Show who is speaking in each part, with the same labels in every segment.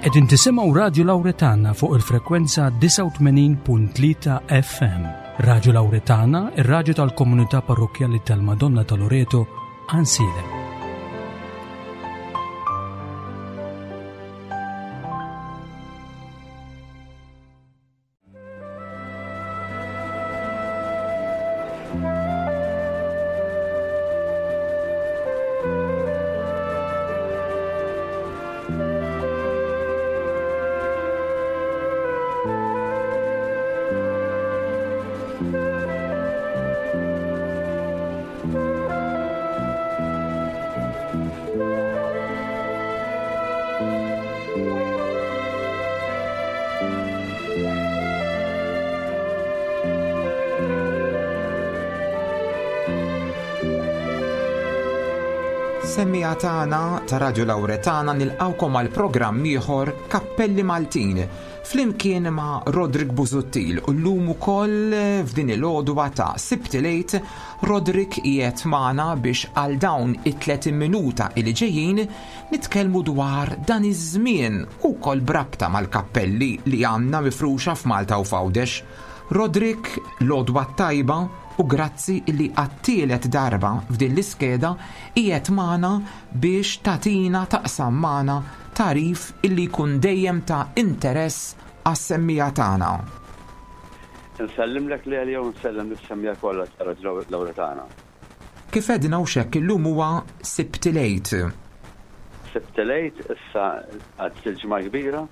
Speaker 1: Qegħdin tisimgħu Radju Lawretana fuq il-frekwenza 89.3 FM. Radju Lawretana, ir-radju tal-komunità parrokkjali tal-Madonna ta' Loreto, Ansiedem.
Speaker 2: Semmiegħa tagħna ta' Radju Lawretana nilqgħukom għal programm ieħor Kappelli Maltin flimkien ma' Roderick Busuttil u llum ukoll f'din il-għodwa ta' Sibt il-Għid Roderick qiegħed magħna biex għal dawn it-30 minuta li ġejjin nitkellmu dwar dan iż-żmien u wkoll b'rabta mal-kappelli li għandna mifruxa f'Malta u f'Għawdex. Roderick, l-għodwa t-tajba u grazzi li għat-tielet darba f'din l-iskeda qiegħed magħna biex tagħtina taqsam magħna tagħrif illi jkun dejjem ta' interess għas-semmiegħa tagħna.
Speaker 3: Insellimlek Lelio u nsellem lis-semmiegħa kollha ta' Radio Lawretana.
Speaker 2: Kif għedna hux hekk illum huwa Sibt il-Għid.
Speaker 3: Sibt il-Għid, issa għaddiet il-Ġimgħa l-Kbira.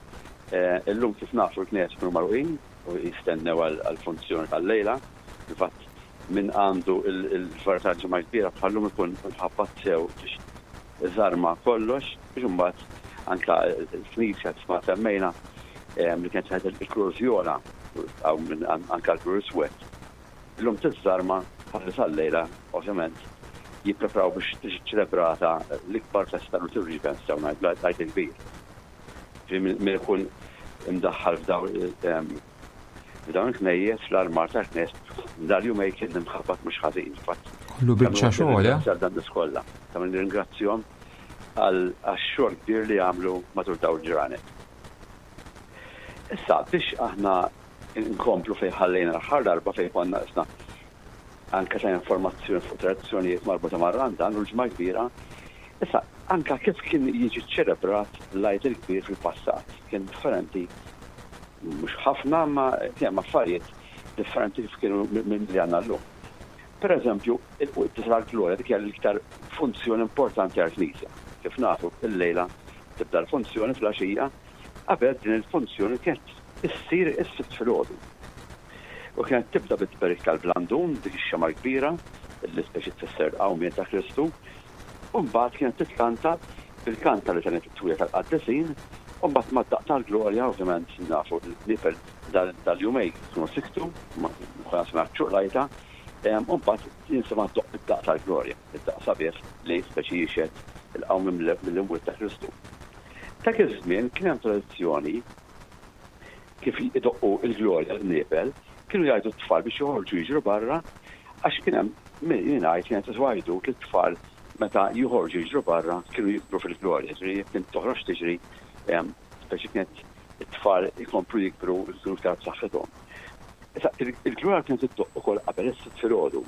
Speaker 3: Illum kif nafu l-knejjes ikunu magħluqin u jistennew għall-funzjoni tal-lejla. Fil-fatt min għandu l-varjetà tal-Ġimgħa l-Kbira bħal-lum ikun imħabbat sew biex iżarma kollox biex imbagħad anke l-knisja kif ma semmejna li kienet saret il-kulur vjola hawn anke l-kulur iswed. Illum tiżżarma ħalli sal-lejla ovvjament jippreparaw biex tiġi ċċelebrata l-ikbar festa liturġika nistgħu ngħidu l-Għid il-Kbir. Ġifieri min ikun imdaħħal f'dawn f'dawn il-knejjes, fl-armar tal-knejjes, dal-jumejn kien imħabbat mhux ħażin. Fatt.
Speaker 2: Kollu biċċa xogħol, eh?
Speaker 3: Dan nies kollha. Ta' min nirringrazzjahom għax-xogħol kbir li għamlu matul dawn il-ġranet. Issa biex aħna Inkomplu fejn ħallejna l-aħħar darba fejn konna qisna anke ta' informazzjoni fuq tradizzjonijiet marbuta mar-Randan u l-Ġimgħa l-Kbira. Issa, anke kif kien jiġi ċċelebrat l-Għid il-Kbir fil-passat kien differenti mhux ħafna imma kien hemm affarijiet differenti kif kienu minn li għandna llum. Per eżempju, il-Quddiesa tal-Glorja dik hija l-iktar funzjoni importanti għall-Knisja. Kif nafu, illejla tibda l-funzjoni filgħaxija, qabel din il-funzjoni kienet issir is-Sibt filgħodu. U kienet tibda bit-tberik tal-blandun, dik ix-xemgħa l-kbira, li speċi tfisser il-qawmien ta' Kristu, u mbagħad kienet titkanta bil-kant tal-litanijiet it-twila tal-qaddisin, u mbagħad mad-daqq tal-Glorja, ovvjament nafu l-qniepel dal-jumejn kienu siktu, ma konna smajna ċ-ċuqlajta, u mbagħad jinstema' ddoqq id-daqq tal-Glorja, id-daqq sabiħ li speċi jixhed il-qawmien mill-imwiet ta' Kristu. Dak iż-żmien kien hemm tradizzjoni kif idoqqu l-glorja l-qniepel, kienu jgħidu t-tfal biex joħorġu jiġru barra għax kien hemm min jingħid kienet qisu għajdut li t-tfal meta joħorġu jiġru barra kienu jikbru fil-glorja, ġifieri jekk int toħroġ tiġri speċi kienet it-tfal ikomplu jikbru jkunu iktar b'saħħithom. Issa il-glorja kienet iddoqq ukoll qabel is-Sibt filgħodu.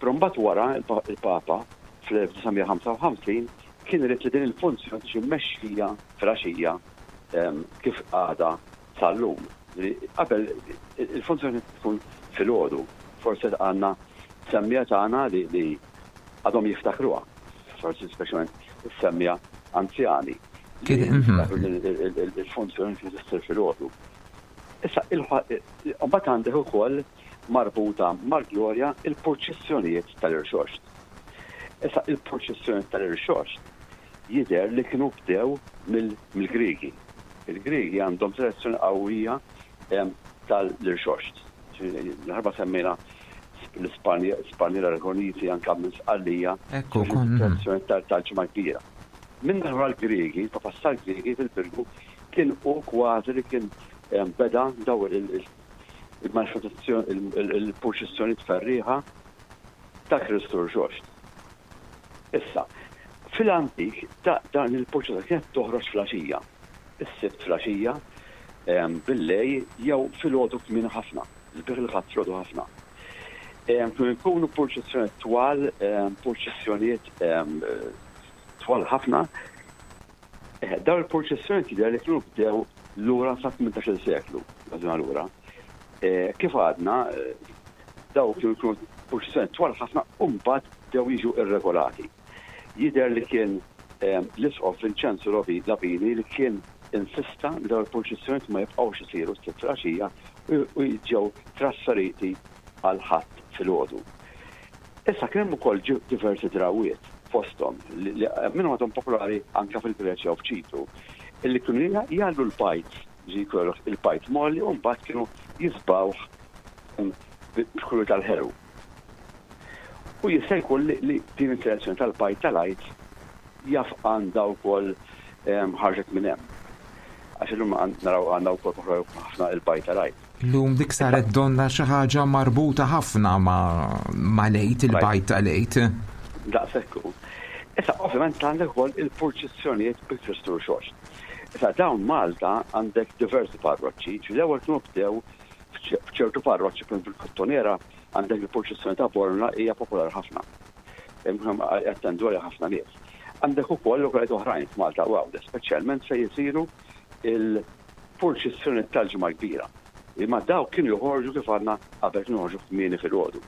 Speaker 3: Però mbagħad wara il-Papa fl-1955 kien irid li din il-funzjoni tiġi mmexxija filgħaxija kif għadha sal-lum. Qabel il-funzjoni kienet tkun filgħodu, forsi għandna semmiegħa tagħna li għadhom jiftakruha, forsi speċjalment is-semmiegħa anzjani li jiftakru il-funzjoni kienet issir filgħodu. Issa, mbagħad għandek ukoll marbuta mal-glorja il-purċissjonijiet tal-irxoxt. Issa, il-purċissjonijiet tal-irxoxt jidher li kienu bdew mill-Griegi. Il-Griegi għandhom tradizzjoni qawwija tal-irxoxt. L-ħarba semmejna l-Ispanja, l-Aragoniti, anke minn Sqallija, tradizzjoni tal-Ġimgħa Kbira. Minn naħa l-Griegi, il-Papas tal-Griegi fil-Birgu kien hu kważi li kien beda daw il-manifestazzjoni, il-purċissjoni tferrieħa ta' Kristu Rxoxt. Issa, fil-antik dan il-purċissjoni kienet toħroġ fl-għaxija. Is-Sibt filgħaxija billejl jew filgħodu kmieni ħafna, sbieħ il-Ħadd filgħodu ħafna. Kienu jkunu purċissjonijiet twal, purċissjonijiet twal ħafna. Dawn il-purċissjonijiet jidher li kienu bdew lura sa 18-il seklu, żmien lura. Kif għadna, daw kienu jkunu purċissjonijiet twal ħafna u mbagħad bdew jiġu irregolati. Jidher li kien l-Isqof Vinċenzu Labini li kien insista li dawn il-purċissjonijiet ma jibqgħux isiru s-Sibt filgħaxija u ġew trasferiti għall-Ħadd filgħodu. Issa kien hemm ukoll diversi drawwiet fosthom li minnhom għadhom popolari anke fil-Greċja u f'Ċipru, illi kienu jgħallu l-bajd, jiġifieri jkollok il-bajd mgħolli u mbagħad kienu jiżbgħuh b'kulur tal-ħelu. U jista' jkun li din it-tradizzjoni tal-bajd tal-Għid jaf għandha wkoll ħarġet minn hemm. Għax illum naraw għandna wkoll popolari ħafna il-bajd tal-Għid.
Speaker 2: Illum dik saret donnha xi ħaġa marbuta ħafna ma' l-Għid, il-bajd tal-Għid.
Speaker 3: Daqshekk hu. Issa ovvjament għandek ukoll il-purċissjonijiet bi Kristu Rxoxt. Issa dawn Malta għandek diversi parroċċi, ġifieri l-ewwel kienu bdew f'ċertu parroċċi, pereżempju fil-Kottonera Għandek il-purċissjoni ta' Bormla hija popolari ħafna. Jattendu għaliha ħafna nies. Għandek ukoll lokalitajiet oħrajn f'Malta u Għawdex, speċjalment fejn isiru l-purċissjoni tal-Ġimgħa l-Kbira. Imma dawk kienu joħorġu kif għadna qabel kienu joħorġu kmieni filgħodu.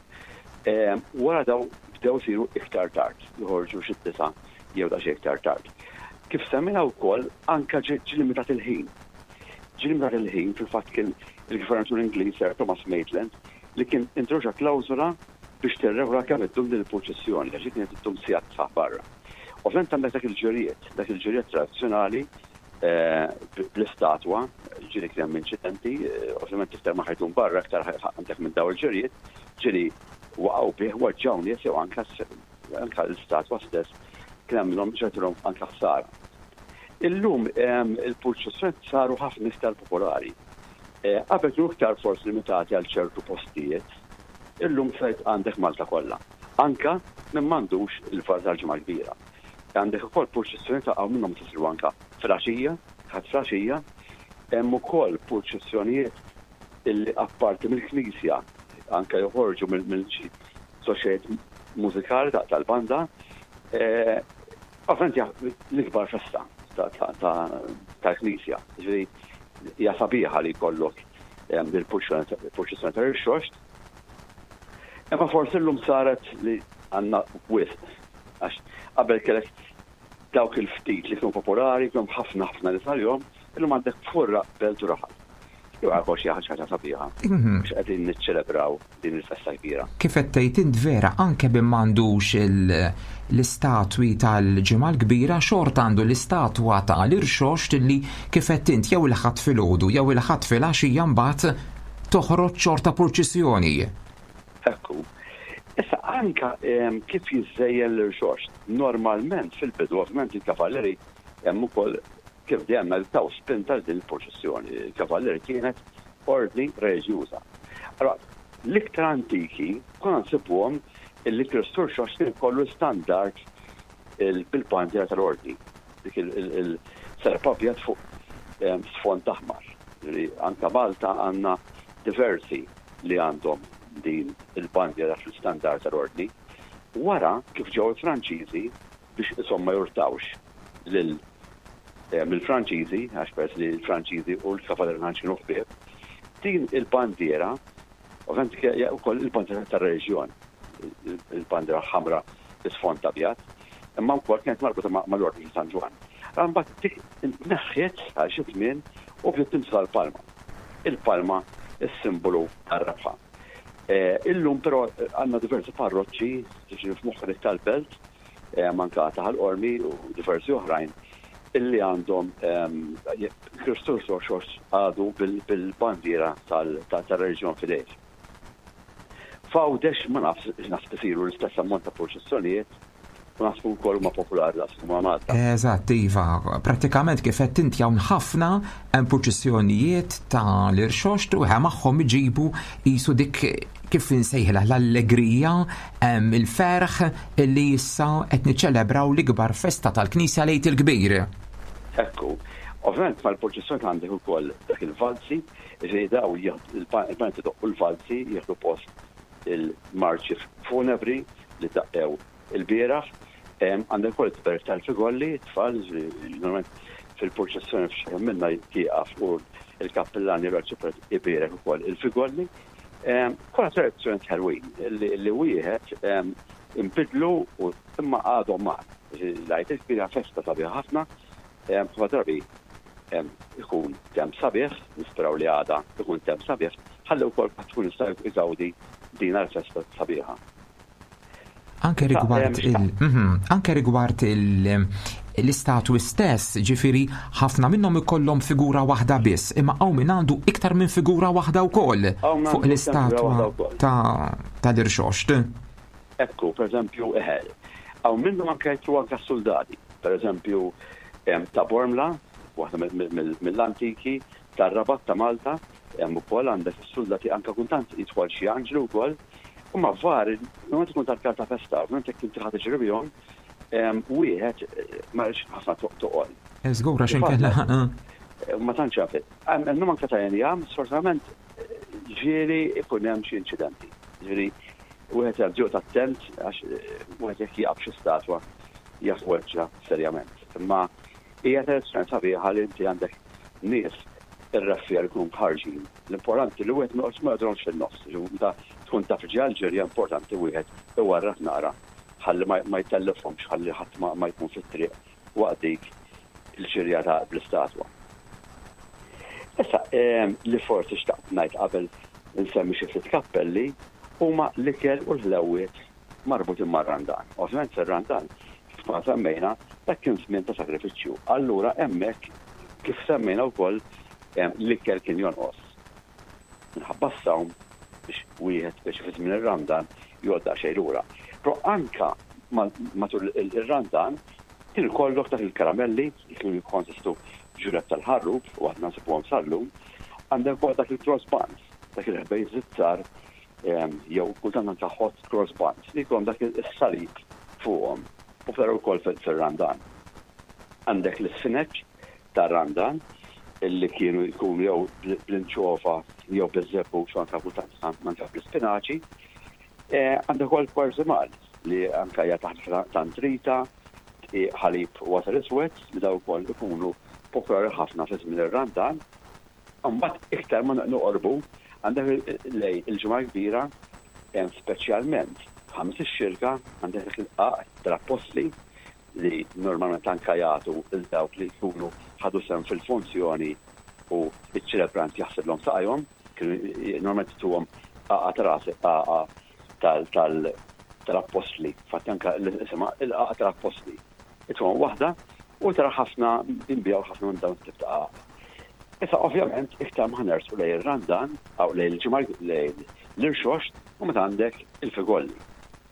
Speaker 3: Wara daw bdew isiru iktar tard, joħorġu xi d-disgħa jew daqsxejn iktar tard. Kif semmejna wkoll anke ġie limitat il-ħin. Ġie limitat il-ħin fil-fatt kien il-Gvernatur Ingliż Sir Thomas Maitland li kien introduċa klawżola biex tirregola kemm iddum din il-purċissjoni, għax hi kienet iddum sigħat sħaħ barra. Ovvjament għandek dak il-ġirjiet, dak il-ġirjiet tradizzjonali bl-istatwa, ġieli kien hemm inċidenti, ovvjament iktar ma ħajdum barra iktar għandek minn daw il-ġirjiet, ġieli waqgħu bih, weġġgħu nies jew anke anke l-istatwa stess kien hemm minnhom ġratilhom anke ħsara. Illum il-purċissjonijiet saru ħafna iktar popolari. Qabel kienu iktar forsi limitati għal ċertu postijiet, illum saret għandek Malta kollha. Anke min m'għandux il-vara tal-Ġimgħa l-Kbira. Għandek ukoll purċissjonijiet hawn minnhom isiru anke filgħaxija, Ħadd filgħaxija. Hemm ukoll purċissjonijiet illi apparti mill-knisja anke joħorġu minn xi soċjetajiet mużikali tal-banda. Ovvjament hija l-ikbar festa tal-Knisja. Ġifieri hija sabiħa li jkollok il-purċissjoni tal-Irxoxt. Imma forsi llum saret li għandna wisq għax qabel kellek dawk il-ftit li kienu popolari, kienu ħafna ħafna nies għalihom, illum għandek furra belt u raħal. Jew għal xi ħaġa sabiħa mhm. biex qegħdin niċċelebraw din il-festa kbira.
Speaker 2: Kif qed tgħid int vera anke bin m'għandux l-istatwi tal-Ġimgħa l-Kbira xorta għandu l-istatwa tal-irxoxt li kif qed int jew il-Ħadd filgħodu jew il-Ħadd filgħaxija mbagħad toħroġ xorta purċissjoni.
Speaker 3: Ekku. Issa anka kif jiżżejjen l-irxoxt, normalment fil-bidu ovvjament il-kavallieri hemm ukoll kif dejjem taw spinta għal din il-purċissjoni. Il-kavallieri kienet ordni reliġjuża. Allora, l-iktar antiki konna nsibuhom illi Kristu Rxoxt kien ikollu standard bil-bandiera tal-ordni, dik il-serp abjad fuq sfond aħmar. Anka Malta għandna diversi li għandhom din il-bandiera fl-istandard tal-ordni. Wara, kif ġew il-Franċiżi, biex ishom ma jurtawx lil mill-Franċiżi, għax peress li l-Franċiżi u l-Kavallieri ma tantx kienu ħbieb, din il-bandiera, ovvjament hija wkoll il-bandiera tar-reliġjon, il-bandiera ħamra bi sfond abjad, imma wkoll kienet marbuta mal-Ordni ta' San Ġwann. Allura mbagħad dik intneħħiet għal xi żmien u bdiet tintuża l-palma. Il-palma is-simbolu tar-rebħa. Illum però għandna diversi parroċċi, tiġi f'moħħi dik tal-Belt, anka ta' Ħal Qormi u diversi oħrajn illi għandhom Kristu Rxoxt għadu bil-bandiera tal-reliġjon f'idejh. F'Għawdex ma nafx naħseb isiru l-istess ammont ta' purċissjonijiet u naħseb ukoll huma popolari daqs huma Malta.
Speaker 2: Eżatt, iva, prattikament kif qed inti hawn ħafna hemm purċissjonijiet ta' l-irxoxt u magħhom iġibu qisu dik kif insejħilha l-allegrija, il-ferħ illi issa qed niċċelebraw l-ikbar festa tal-Knisja l-Għid il-Kbir.
Speaker 3: Ekku. Ovvjament mal-purċissjoni għandek ukoll dak il-valzi, ġifieri daw il-banti doqqu l-valzi jieħdu post il-marċi funebri li daqqew il-bieraħ. Għandek ukoll it-tberik tal-figolli, it-tfal, normalment fil-purċissjoni f'xi minna jieqaf u l-kappillan jew l-arċipriet ibierek ukoll il-figolli. Kollha tradizzjonijiet ħelwin li wieħed inbidlu u imma għadhom magħna. L-Għid il-Kbir hija festa sabiħa ħafna, ħafna drabi ikun temp sabiħ, nisperaw li għada ikun temp sabiħ, ħalli wkoll kulħadd ikun jista' jgawdi din l-festa sabiħa.
Speaker 2: Anke rigward il mhm, anke rigward l-istatwi stess, ġifiri ħafna minnhom ikollhom figura waħda biss, imma hawn min għandu iktar minn figura waħda wkoll fuq l-istatwa ta' tal-irxoxt.
Speaker 3: Ekku, per eżempju, eħe, hawn minnhom anke jitlu anke soldati. Per eżempju, ta' Bormla, waħda mill-antiki, tar-Rabat ta' Malta, hemm ukoll għandek is-suldati anke kultant jidħol xi anġlu wkoll. Huma vari, normalment ikun tal-karta festa, ovvjament jekk inti ħa tiġri bihom, wieħed ma jridx ħafna toqol.
Speaker 2: Żgur għax inkella.
Speaker 3: Ma tantx jaf. Hemm anke ta' injam, sfortunatament ġieli ikun hemm xi inċidenti. Ġifieri wieħed jgħid joqgħod attent għax wieħed jekk jaqab xi statwa jaf weġġa' serjament. Imma hija tradizzjoni sabiħa li inti għandek nies ir-reffiegħa li jkunu mħarrġin. L-importanti li wieħed ma joqgħodx ma joqgħodhomx fin-nofs. Meta tkun taf ġej għall-ġirja importanti wieħed iwarrab naqra ħalli ma jtellifhomx ħalli ħadd ma jkun fit-triq waqt dik il-ġirja ta' bl-istatwa. Issa li forsi xtaqt ngħid qabel insemmi xi ftit kappelli huma l-ikel u l-ħlewwiet marbutin mar-Randan. Ovvjament fir-Randan, kif konna semmejna, dak kien żmien ta' sagrifiċċju. Allura hemmhekk, kif semmejna wkoll, l-ikel kien jonqos. Minħabba s-sawm biex wieħed speċi fi żmien ir-Randan joqgħod daqsxejn lura. Però anka matul ir-Randan kien ikollok dak il-karamelli li kienu jikkonsistu f'ġureb tal-ħarrub u aħna nsibuhom sal-lum, għandek ukoll dak il-cross buns, dak il-ħbejż iż-żgħar jew kultant anke hot cross buns li jkollhom dak is-salib fuqhom, popolari wkoll fir-Randan. Għandek l-isfineċ tar-Randan li kienu jkunu jew bl-inċova jew biż-żebbuġ u anke kultant anke bl-ispinaċi. Għandek ukoll kwarżimal li anke hija taħlita ta' ntrita, dqiq, ħalib u għasel iswed li dawn ukoll ikunu popolari ħafna fi żmien ir-Randan. Imbagħad iktar ma noqorbu għandek lejn il-Ġimgħa l-Kbira, speċjalment Ħamis ix-Xirka, għandek dak il-qagħaq tal-Appostli li normalment anke jagħtu lil dawk li jkunu ħadu sehem fil-funzjoni u ċ-ċelebrant jaħsiblhom saqajhom, kienu normalment ituhom qagħqa ta' ras il-qagħqa tal-Appostli, infatti anke isimha il-qagħqa tal-Appostli. Itfgħu waħda u tara ħafna jinbiegħu ħafna minn dawn it-tip ta' qagħaq. Issa ovvjament iktar ma ħanersu lejn ir-Randan aw lejn il-ġimgħa lejn l-irxoxt u meta għandek il-figolli.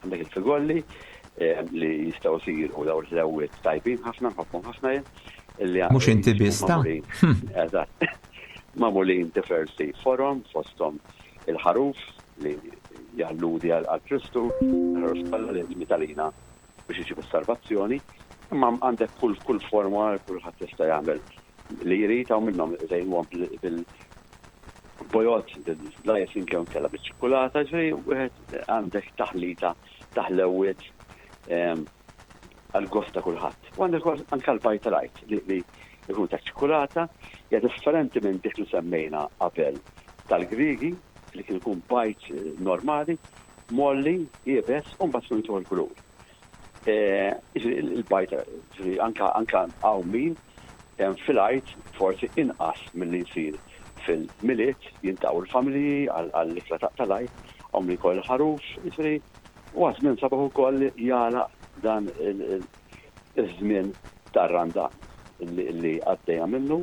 Speaker 3: Għandek il-figolli eh, li jistgħu jsiru daw l-ħlewwiet tajbin ħafna, nħobbhom ħafna jien.
Speaker 2: Mhux inti biss ta'
Speaker 3: Eżatt. Magħmulin diversi forom fosthom il-ħaruf li jalludi għal Kristu, il-ħaruf tal li mitalina biex iġib is-salvazzjoni, imma għandek kull kull forma kulħadd jista' jagħmel li jrid hawn minnhom iżejnuhom bil-bojod, bil-icing jew inkella biċ-ċikkulata, ġifieri wieħed għandek taħlita ta' ħlewwiet ehm, għal gost ta' kulħadd. U għandek anke l-bajt tal-għid li jkun ta' ċikkulata, hija differenti minn dik li semmejna qabel tal-Griegi li kien ikun bajt normali, Mgħolli, iebes u mbagħad tkun jieħu l-kulur. Il-bajt, anka anka hawn min fil-Għid forsi inqas milli jsir fil-Milied jintaqgħu l-familji għall-ikla tal-Għid, hawn min jkoll il-ħaruf, jiġifieri huwa żmien sabiħ ukoll jagħlaq dan iż-żmien tar-Randan li għaddejna minnu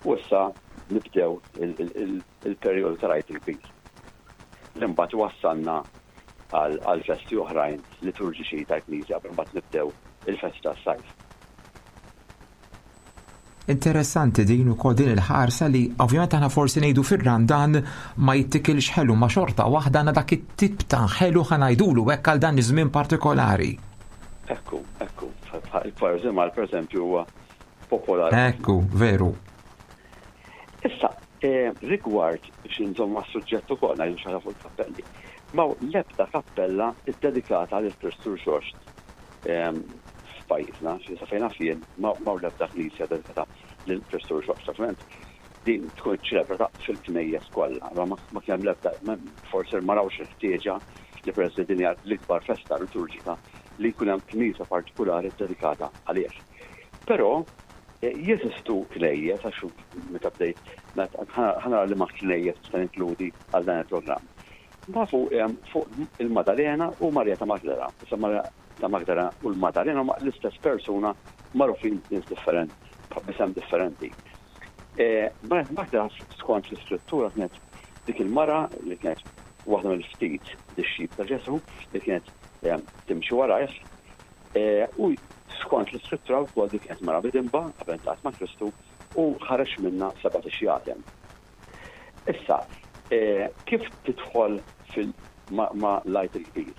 Speaker 3: u issa nibdew il-perjodu tal-Għid il-Kbir. Li mbagħad iwassalna għal festi oħrajn liturġiċi tal-Knisja qabel mbagħad nibdew il-festi tas-sajf.
Speaker 2: Interessanti din ukoll din il-ħarsa li ovvjament aħna forsi ngħidu fir-Randan ma jittikilx ħelu ma xorta waħda għandna dak it-tip ta' ħelu ħa ngħidulu hekk għal dan iż-żmien partikolari.
Speaker 3: Ekku, ekku, il-parżimal pereżempju huwa popolari.
Speaker 2: Ekku, veru.
Speaker 3: Issa, rigward biex inżomm mas-suġġett ukoll ngħidu xi ħaġa fuq il-kappelli. M'hawn l-ebda kappella ddedikata lil Kristu Rxoxt f'pajjiżna, sa fejn naf jien m'hawn l-ebda knisja dedikata lil Kristu Rxoxt. Ovvjament din tkun iċċelebrata fil-knejjes kollha, allura ma kien hemm l-ebda, forsi ma rawx il-ħtieġa li peress li din hija l-ikbar festa liturġika li jkun hemm knisja partikulari ddedikata għalih. Però jeżistu knejjes, għax meta bdejt ħa nara liema knejjes nista' ninkludi għal dan il-programm. Nafu fuq il-Madalena u Marija ta' Magdala. Issa Marija ta' Magdala u l-Madalena huma l-istess persuna magħrufin b'nies differenti, b'isem differenti. Marija ta' Magdala skont l-iskrittura kienet dik il-mara li kienet waħda mill-ftit dixxipli ta' Ġesù li kienet timxi warajh U skont l-Iskrittura wkoll dik kienet mara midinba qabel ltaqgħet ma' Kristu u ħareġ minnha sebat ixjaten. Issa, kif tidħol fil ma' l-Għid il-Kbir?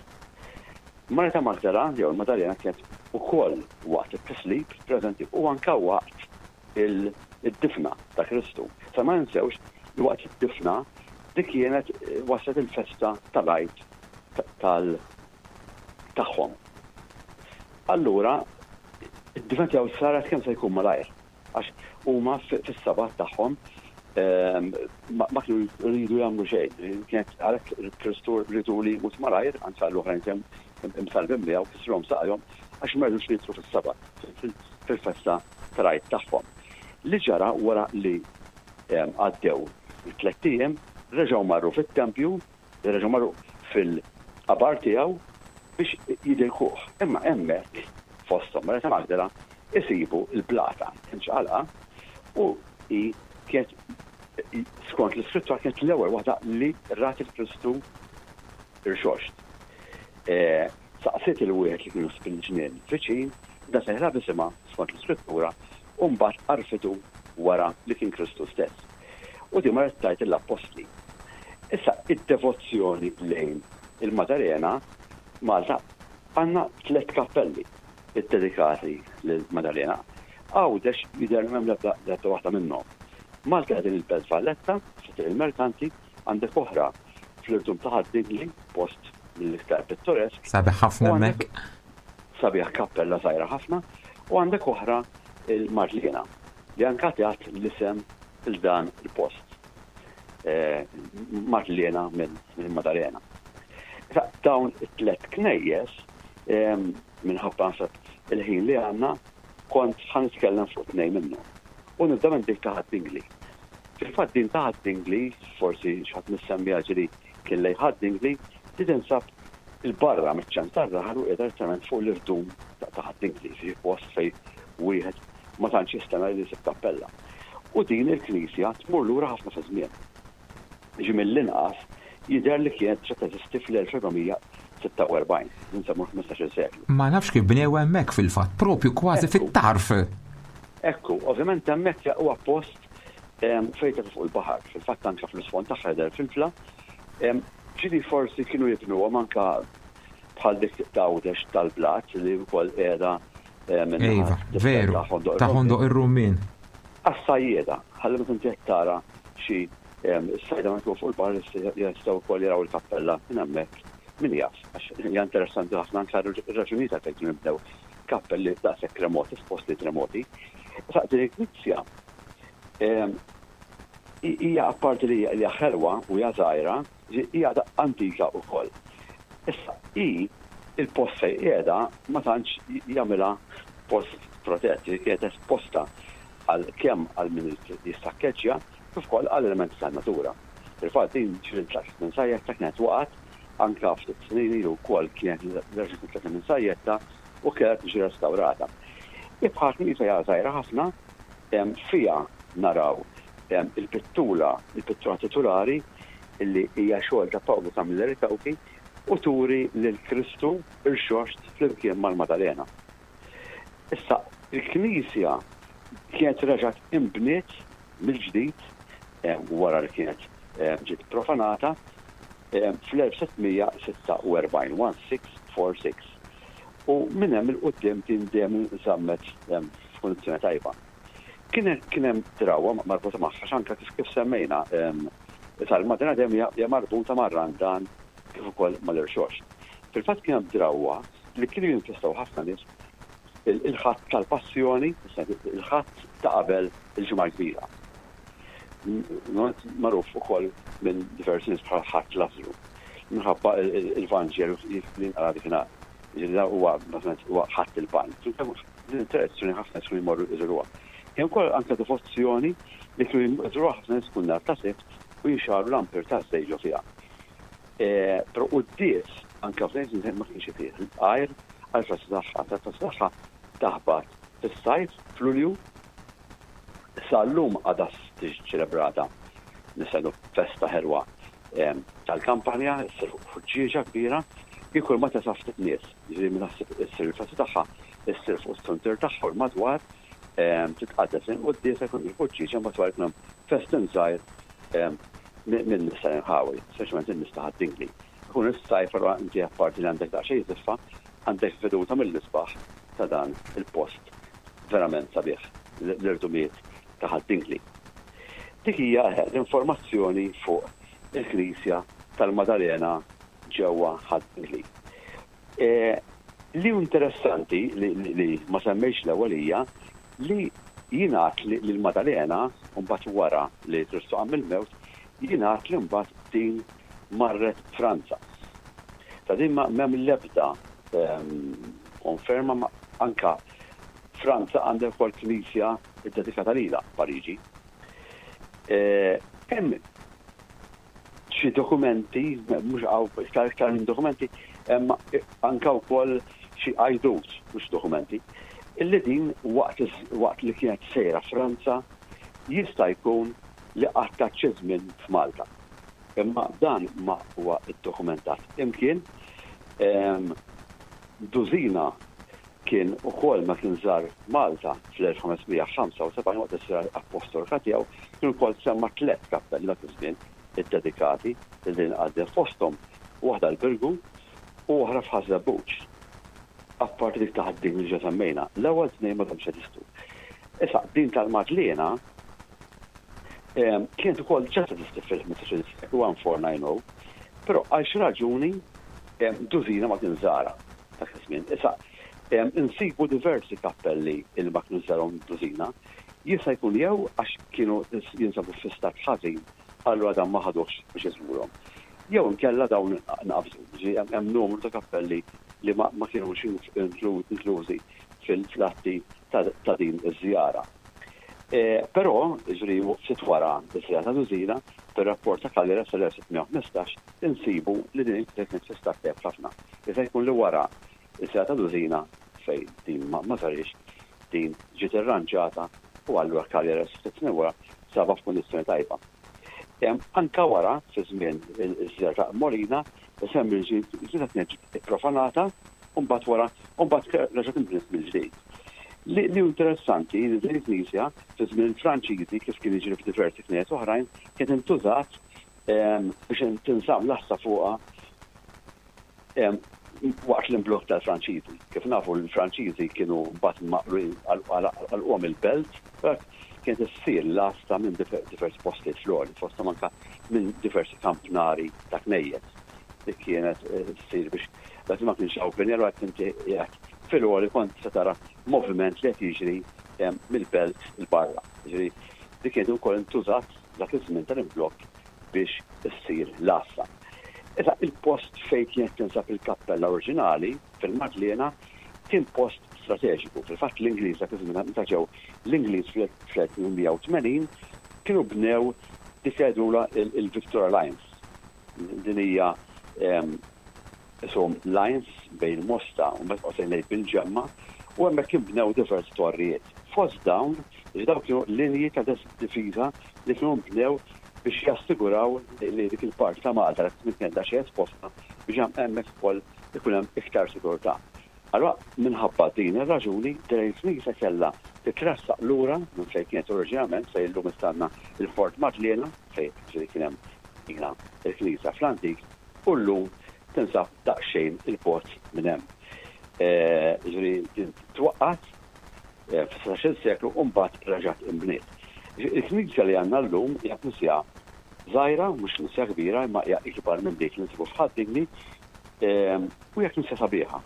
Speaker 3: Marija ta' Magdala jew il-Madalena kienet ukoll waqt it-tislib preżenti u anke waqt id-difna ta' Kristu. Sa ma ninsewx li waqt id-difna dik kienet waslet il-festa tal-Għid tal tagħhom. Allura, id-difna tiegħu saret kemm se jkun malajr, għax huma fis-Sabat tagħhom ma kienu jridu jagħmlu xejn. Kienet għalhekk Kristu riedu li jmut malajr, anke l-oħrajn kemm imsallbin miegħu kisrulhom saqajhom għax ma rridux li jidħlu fis-Sabat, fil-festa tal-Għid tagħhom. Li ġara wara li għaddew it-tlett ijiem, reġgħu marru fit-tempju Reġgħu marru fil-qabar tiegħu biex jidilkuh. Imma hemmhekk, fosthom Marija ta' Magdala, isibu l-blata imċaqalqa u hi kienet, skont l-Iskrittura, kienet l-ewwel waħda li rat il Kristu rxoxt. Saqsiet il wieħed li kienu fil-ġnien viċin, dan sejħilha b'isimha skont l-Iskrittura, u mbagħad għarfitu wara li kien Kristu stess. U din marret tgħid lill-appostli. Issa, id-devozzjoni lejn il-Maddalena, Malta għandna tlett kappelli ddedikati lill-Maddalena. Għawdex jidher li m'hemm l-ebda l-ebda waħda minnhom. Malta hija din il-Belt Valletta, fi Triq il-Merkanti, għandek oħra fl-Irdum ta' Ħad-Dingli, post mill-iktar pittoresk.
Speaker 2: Sabiħ ħafna hemmhekk.
Speaker 3: Sabiħ kappella żgħira ħafna, u għandek oħra il-Marlina li anka tat l-isem 'il dan il-post. Marlena minn Maddalena. Issa dawn it-tlet knejjes minħabba naħseb il-ħin li għandna kont ħa nitkellem fuq tnejn minnhom. U nibda minn dik ta' Ħad-Dingli. Fil-fatt din ta' Ħad-Dingli, forsi xi ħadd mis-semmiegħa ġieli kien lejn Ħad-Dingli, di tinsab 'il barra miċ-ċentru tar-raħal u qiegħda direttament fuq l-irdum ta' Ħad-Dingli, jiġifieri post fejn wieħed ma tantx jistenna li jsib kappella. U din il-knisja tmur lura ħafna fiż-żmien. Jiġi mill-inqas jidher li kienet diġà teżisti fl-1446, insemmu l-ħmistax-il seklu.
Speaker 2: Ma nafx kif bnew hemmhekk fil-fatt, propju kważi fit-tarf.
Speaker 3: Ekku, ovvjament hemmhekk huwa post fejn tagħti fuq il-baħar. Fil-fatt anke fl-isfond tagħha jidher filfla. Ġieli forsi kienu jibnuhom anke bħal dik t'Għawdex tal-blat li wkoll qiegħda
Speaker 2: Iva, veru, ta' Ħondoq ir-Rummien.
Speaker 3: Għas-sajjieda, ħalli meta inti qed tara xi sajda meta tkun fuq il-baħar jistgħu wkoll jaraw il-kappella minn hemmhekk. Min jaf, għax hija interessanti ħafna anke r-raġunijiet għalfejn kienu nbnew kappelli daqshekk remoti f'postijiet remoti. Issa din il-knisja hija apparti li hija ħelwa u hija żgħira, Hi għadha antika wkoll. Issa, hi, il-post fejn qiegħda ma tantx jagħmilha post protett, hi kienet esposta għal kemm għal min irid jissakkeġġja kif ukoll għal elementi tan-natura. Fil-fatt din ġieli ntlaqtet minn sajjetta kienet waqgħet, anke ftit snin ilu wkoll kienet reġgħet intlaqtet minn sajjetta u kellha tiġi restawrata. Hi bħala knisja hija żgħira ħafna, fiha naraw il-pittura, il-pittura titulari li hija xogħol ta' Pawlu Camilleri Cauchi u turi lil Kristu rxoxt flimkien mal-Madalena. Issa, il-knisja kienet reġgħet inbniet mill-ġdid wara li kienet ġiet profanata fl-1646, 1646, u minn hemm 'il quddiem din dejjem inżammet f'kundizzjoni tajba. Kien kien hemm drawwa marbuta magħha x'anka kif kif semmejna issa l-Madonna dejjem hija marbuta mar-Randan kif ukoll mal-Irxoxt. Fil-fatt kien hemm drawwa li kienu jinfestaw ħafna nies il-Ħadd tal-Passjoni, il-Ħadd ta' qabel il-Ġimgħa l-Kbira. Magħruf ukoll minn diversi nies bħala Ħadd Lazzru, minħabba il-Vanġelu li nqara dakinhar. Jiġifieri dan huwa bażikament huwa Ħadd il-Palm. Din it-tradizzjoni ħafna nies kienu jmorru jżuruha. Kien ukoll anke devozzjoni li kienu jżuruha ħafna nies kull nhar ta' Sibt u jixgħalu l-ampir taż-żejt ġo fiha. Però quddies anke f'dan iż-żmien ma kienx isir għajr għall-festa tagħha. Il-festa tagħha taħbat fis-sajf, f'Lulju. Sal-lum għadha tiġi ċċelebrata nista' ngħidu festa ħelwa tal-kampanja, issir ħuġġieġa kbira, kieku ma tesa' ftit nies. Jiġifieri meta ssir il-festa tagħha, issir fuq is-suntier tagħha u l-madwar, titqaddes il-quddiesa jkun il-ħuġġieġa mbagħad wara jkun hemm festin żgħir minn nies tal-inħawi, speċjalment in-nies ta' Ħad-Dingli. Ikun is-sajf allura inti apparti li għandek daqsxejn żiffa, għandek veduta mill-isbaħ ta' dan il-post verament sabiħ, l-irdumiet ta' Ħad-Dingli. Dik hija l-informazzjoni fuq il-Knisja tal-Madalena ġewwa Ħad-Dingli. Li hu interessanti li ma semmejtx l-ewwel hija li jingħad li l-Madalena mbagħad wara li Kristu qam mill-mewt jingħad li mbagħad din marret Franza. Ta' din ma m'hemm l-ebda konferma anka Franza għandha wkoll knisja ddedikata lilha Pariġi. Hemm xi dokumenti, mhux hawn iktar iktar minn dokumenti, hemm anke wkoll xi għajdut, mhux dokumenti, illi din waqt waqt li kienet sejra Franza jista' jkun li qattgħet xi żmien f'Malta. Imma dan ma huwa ddokumentat imkien. Dużina kien ukoll meta kien żar Malta fl-1575 waqt is-sira appostolika tiegħu, kien ukoll semma tlett kappelli dak iż-żmien iddedikati lil din il-qaddieha fosthom waħda l-Birgu u oħra f'Ħaż-Żebbuġ. Apparti dik ta' Ħad-Dingli li ġa semmejna, l-ewwel tnejn m'għadhomx jeżistu. Issa, din tal-Madliena kienet ukoll ġa teżisti fil-15-il seklu 1490, però għal xi raġuni dużina ma kien żarha dak iż-żmien. Issa, insibu diversi kappelli li ma kienux żarhom dużina, jista' jkun jew għax kienu jinsabu fi stat ħażin allura dan ma ħaduhx biex iżurhom, jew inkella dawn nqabżu. Jiġifieri hemm numru ta' kappelli li ma kinux inklużi fil-atti ta' din iż-żjara. Però, jiġifieri ftit wara ż-żjara ta' Dużina, fir-rapport ta' Cagliari sal-1615, insibu li din il-knisja kienet fi stat tajjeb ħafna. Jista' jkun li wara ż-żjara ta' Dużina, fejn din ma saritx, din ġiet irranġata u allura Cagliari ftit snin wara sabha f'kundizzjoni tajba. Anke wara, fi żmien iż-żjara ta' Molina, isemmi li l-knisja kienet ġiet ipprofanata u mbagħad wara u mbagħad reġgħet inbniet mill-ġdid. Li hu interessanti li din il-knisja fi żmien il-Franċiżi kif kien jiġri f'diversi knejjes oħrajn kienet intużat biex tinżamm l-għassa fuqha waqt l-imblokk tal-Franċiżi. Kif nafu l-Franċiżi kienu mbagħad għalquhom il-belt, kienet issir l-għassa minn diversi postijiet fl-għoli, fosthom anke minn diversi kampnari ta' knejjes li kienet issir biex dak li ma kienx hawn bini allura inti qiegħed fil-għoli kont se tara moviment li qed jiġri mill-belt 'il barra. Jiġifieri dik kienet ukoll intużat dak iż-żmien tal-imblokk biex issir l-għassa. Issa il-post fejn kienet tinsab il-kappella oriġinali, fil-Madliena, kien post strateġiku. Fil-fatt l-Ingliż dak iż-żmien meta ġew l-Ingliż fl-1880 kienu bnew dik li jgħidulha il-Victoria Lines. Din hija ishom lines bejn Mosta u mbagħad qosejn lejn Bil-Ġemma u hemmhekk inbnew diversi torrijiet. Fost dawn, jiġifieri dawn kienu linji ta' difiża li kienu nbnew biex jassiguraw li dik il-parti ta' Malta li tkun kienet daqsxejn esposta biex hemmhekk ukoll ikun hemm iktar sigurtà. Allura minħabba din ir-raġuni din il-knisja kellha titressaq lura minn fejn kienet oriġinarjament fejn illum issa għandna l-Fort Madliena fejn ġifieri kien hemm ilha l-knisja fl-antik u llum tinsab daqsxejn 'il bogħod minn hemm. Jiġifieri din twaqqgħet. eh, fis-16 seklu u mbagħad reġgħet inbniet. Il-knisja li għandna llum hija knisja żgħira, mhux knisja kbira, imma hija ikbar minn dik li nsibu f'Ħad-Dingli, ehm, u hija knisja sabiħa.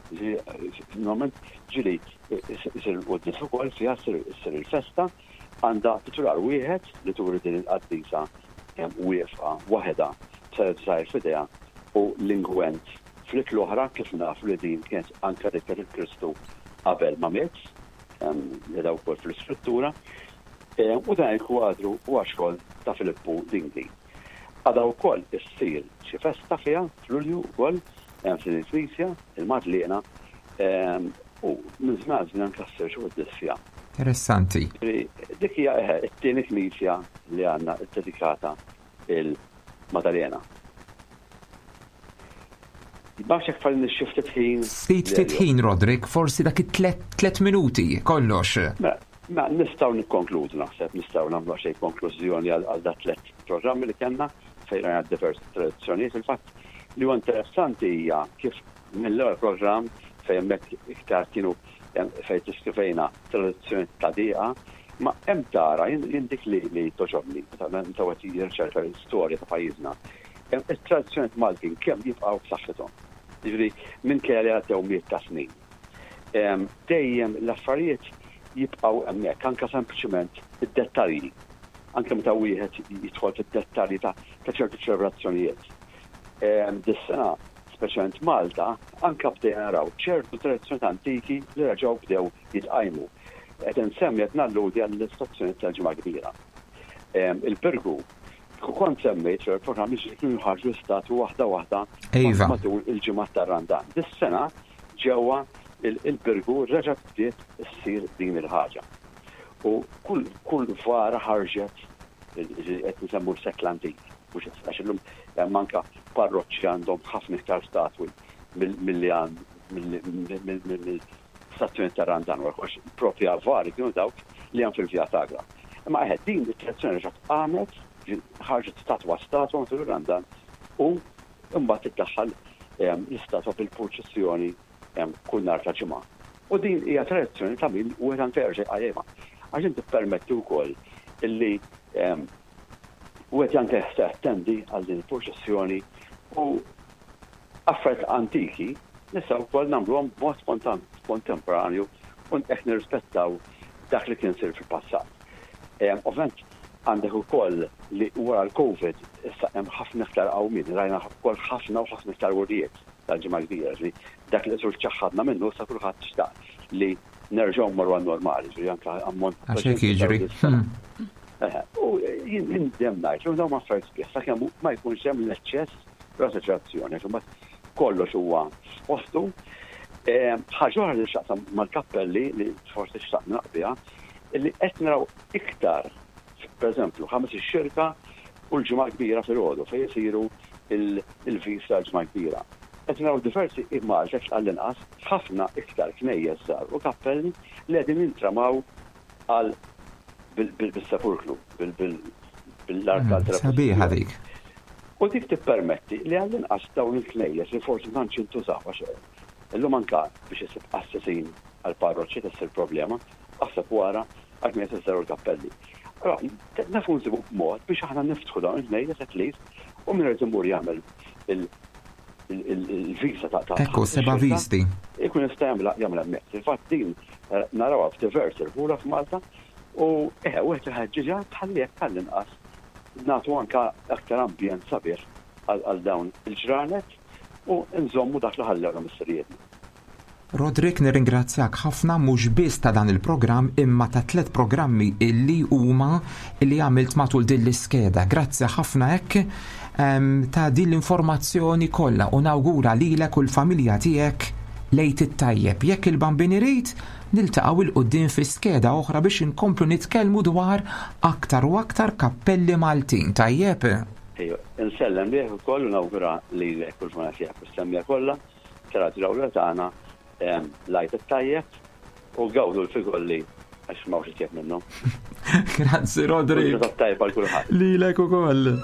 Speaker 3: Normalment ġieli isir il-quddies ukoll fiha ssir il-festa, għandha titular wieħed li turi din il-qaddisa wieqfa waħedha b'salib żgħir f'idejha u l-ingwent fl-id l-oħra kif nafu li din kienet anke dik lil Kristu qabel ma miet, qiegħda wkoll fl-iskrittura. U dan il-kwadru huwa xogħol ta' Filippu Dingli. Għadha wkoll issir xi festa fiha f'Lulju wkoll f'din il-knisja, il-Madliena, u minn żmien għal żmien anke ssir xi quddies fiha.
Speaker 2: Interessanti.
Speaker 3: Dik hija eħe it-tieni knisja li għandna ddedikata il-Madalena. Ma nafx jekk fadlilni xi ftit ħin.
Speaker 2: Ftit ftit ħin Roderick, forsi dak it-tlet minuti kollox.
Speaker 3: Mela, mela nistgħu nikkonkludu naħseb, nistgħu nagħmlu xi konklużjoni għal dat tlet programmi li kellna fejn rajna diversi tradizzjonijiet. Fil-fatt li huwa interessanti hija kif mill-ewwel programm fejn hemmhekk iktar kienu fejn diskrivejna tradizzjoni ta' dieqa, ma hemm tara jien dik li li toġobni meta wieħed jirriċerka l-istorja ta' pajjiżna. It-tradizzjonijiet Maltin kemm jibqgħu b'saħħithom. Jiġifieri minkejja li għaddew mijiet ta' snin. Dejjem l-affarijiet jibqgħu hemmhekk, anke sempliċement id-dettalji. Anke meta wieħed jidħol fid-dettalji ta' ċertu ċelebrazzjonijiet. Dis-sena, speċjalment Malta, anke bdejna naraw ċertu tradizzjonijiet antiki li reġgħu bdew jitqajmu. Qed insemmi qed nalludi għall-istazzjonijiet tal-Ġimgħa Kbira. Il-Birgu, kieku kont semmejt fil-programm li kienu jħarġu l-istatwi waħda waħda
Speaker 2: iva.
Speaker 3: matul il-ġimgħat tar-Randan. Dis-sena ġewwa il-Birgu reġgħet bdiet issir din il-ħaġa. U kull kull vara ħarġet qed nsemmu s-sekl antik, mhux għax illum hemm anke parroċċi għandhom ħafna iktar statwi milli għand stazzjoni ta' Randan wara kollox propja vari kienu dawk li hemm fil-Via Sagra. Imma eħe din it-tradizzjoni reġgħet qamet, ħarġet statwa statwa matul ir-Randan u mbagħad tiddaħħal ehm, l-istatwa bil-purċissjoni ehm, kull nhar ta' ġimgħa. U din hija tradizzjoni ta' min wieħed anke jerġa' jqajjimha. Għax inti tippermetti wkoll illi ehm, wieħed anke jattendi għal din il-purċissjoni u Affarijiet antiki nistgħu wkoll nagħmluhom b'mod kontemporanju u hekk nirrispettaw dak li kien isir fil-passat. Ovvjament għandek ukoll li wara l-Covid issa hemm ħafna iktar qawmien, rajna wkoll ħafna u ħafna iktar wirjiet tal-Ġimgħa l-Kbira, ġifieri dak li qisu ċċaħħadna minnu issa kulħadd xtaq li nerġgħu mmorru għan-normali, ġifieri anke ammont
Speaker 2: ta' Għax hekk jiġri.
Speaker 3: U jien dejjem ngħid li dawn huma affarijiet sbieħ sakemm ma jkunx hemm l-eċċess L-assoċjazzjoni, għax imbagħad kollox huwa f'postu. Ħaġa oħra li x'taqsam mal-kappelli li forsi xtaqt naqbiha, li qed naraw iktar, pereżempju, Ħamis ix-Xirka u l-Ġimgħa l-Kbira filgħodu fejn isiru l-vista tal-Ġimgħa l-Kbira. Qed naraw diversi immaġni għall-inqas ħafna iktar knejjes żgħar u kappelli li qegħdin jintramaw għal bis-sepulkru, bil-art tal
Speaker 2: Sabiħa dik.
Speaker 3: U dik tippermetti li għall-inqas dawn il-knejjes li forsi ma tantx jintużaw għax illum anke biex issib qassisin għall-parroċċi tissir problema, aħseb u ara għall-knejjes iż-żgħar u l-kappelli. Allura nafu nsibu mod biex aħna niftħu dawn il-knejjes at least u min irid imur jagħmel il-visa ta'
Speaker 2: Ekku, seba' visti.
Speaker 3: Ikun jista' jagħmel hemmhekk. Fil-fatt din narawha f'diversi rħula f'Malta u eħe wieħed iħeġġiġha tħalli hekk għall-inqas nagħtu anke aktar ambjent sabiħ għal dawn il-ġranet u nżommu dak li ħallewna missirijietna.
Speaker 2: Roderick nirringrazzjak ħafna mhux biss ta' dan il-programm imma ta' tlett programmi illi huma illi għamilt matul din l-iskeda. Grazzi ħafna hekk ta' din l-informazzjoni kollha u nawgura lilek u l-familja tiegħek l-Għid it-tajjeb. Jekk il-Bambin irid, niltaqgħu 'il quddiem fi skeda oħra biex inkomplu nitkellmu dwar aktar u aktar kappelli Maltin. Tajjeb?
Speaker 3: Ejja, insellem lilek ukoll u nawgura lilek u l-familja tiegħek u s-semmiegħa kollha ta' Radio L-Awla tagħna l-Għid it-tajjeb u gawdu l-figolli għax m'hawnx itjeb minnhom.
Speaker 2: Grazzi Roderick.
Speaker 3: Ġurnata tajba għal kulħadd.
Speaker 2: Lilek ukoll.